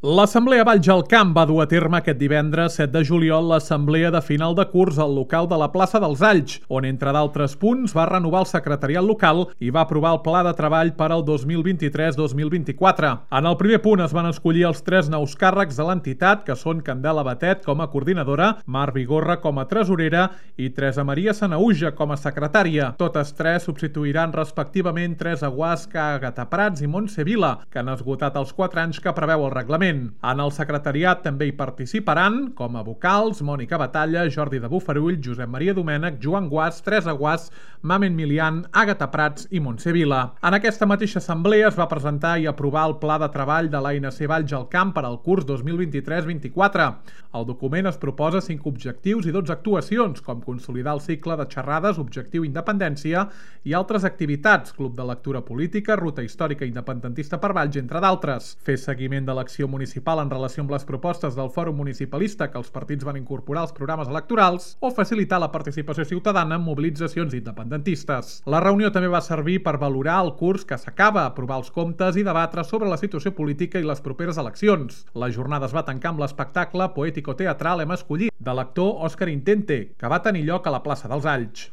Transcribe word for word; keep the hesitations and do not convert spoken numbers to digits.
L'Assemblea Valls al Camp va dur a terme aquest divendres set de juliol l'assemblea de final de curs al local de la plaça dels Alls, on, entre d'altres punts, va renovar el secretariat local i va aprovar el pla de treball per al dos mil vint-i-tres dos mil vint-i-quatre. En el primer punt es van escollir els tres nous càrrecs de l'entitat, que són Candela Batet com a coordinadora, Mar Vigorra com a tresorera i Teresa Maria Sanauja com a secretària. Totes tres substituiran respectivament Teresa Guasca, Àgata Prats i Montse Vila, que han esgotat els quatre anys que preveu el reglament. En el secretariat també hi participaran, com a vocals, Mònica Batalla, Jordi de Bofarull, Josep Maria Domènech, Joan Guas, Teresa Guas, Mamen Milian, Àgata Prats i Montse Vila. En aquesta mateixa assemblea es va presentar i aprovar el pla de treball de l'A N C Valls al Camp per al curs dos mil vint-i-tres vint-i-quatre. El document es proposa cinc objectius i dotze actuacions, com consolidar el cicle de xerrades, objectiu independència i altres activitats, club de lectura política, ruta històrica independentista per Valls, entre d'altres. Fer seguiment de l'acció municipal en relació amb les propostes del Fòrum Municipalista que els partits van incorporar als programes electorals o facilitar la participació ciutadana en mobilitzacions independentistes. La reunió també va servir per valorar el curs que s'acaba, aprovar els comptes i debatre sobre la situació política i les properes eleccions. La jornada es va tancar amb l'espectacle poètico-teatral Hem escollit, de l'actor Òscar Intente, que va tenir lloc a la plaça dels Alls.